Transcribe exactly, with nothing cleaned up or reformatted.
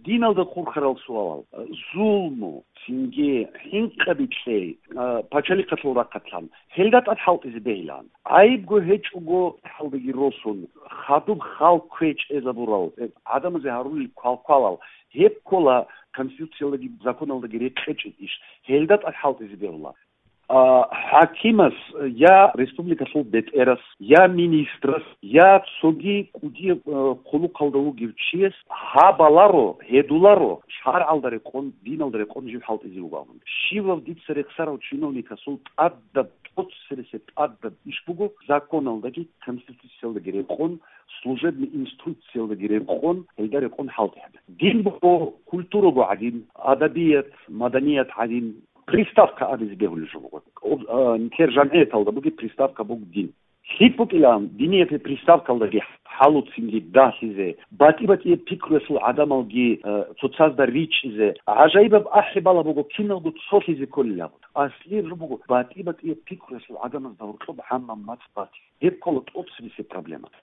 Диналда хурхарал суалал, зулму, цинги хӀинкъаби кьей, а, пачалихъалъул рахъалъан, гьелда тӀад хӀалтӀизе бегьилан. ГӀайибго гьечӀого, хӀалдаги росун, хадуб хал кквечӀезабурал, э, гӀадамазе гьарулел квалквалал, гьеб ккола Конституциялдаги законалдаги рекъечӀеб иш, гьелда тӀад хӀалтӀизе бегьула. А, хӀакимас, я республикалъул бетӀерас, я министрас, я цоги кӀудияб, а, хъулухъалда вугев чияс гьабаларо, гьедуларо, шаргӀалда рекъон, диналда рекъон жив хӀалтӀизе вугеван. Щивав дица рехсарав чиновникасул тӀадаб, тӀоцересеб тӀадаб иш буго, законалдаги Конституциялдаги рекъон, служебный инструкциялдаги рекъон, гьелда рекъон хӀалтӀи гьабе. Дин буго культураго гӀадин, адабият, маданият гӀадин, приставка абизе бегьулеб жо буго. Об-, а, нилъер жамгӀияталда бугеб приставка буго дин. ЛъикӀ букӀилан, диниятил приставкалдаги хӀалуцинги дагьлъизе, батӀи-батӀияб пикруялъул гӀадамалги, а, цоцазда ричӀчӀизе. ГӀажаибаб ахӀи бала буго, киналго цолъизе кколел абун. Аслияб жо буго, батӀи-батӀияб пикруялъул гӀадамазда гьоркьоб гӀаммаб мацӀ батила. Гьеб ккола тӀоцебесеб проблема.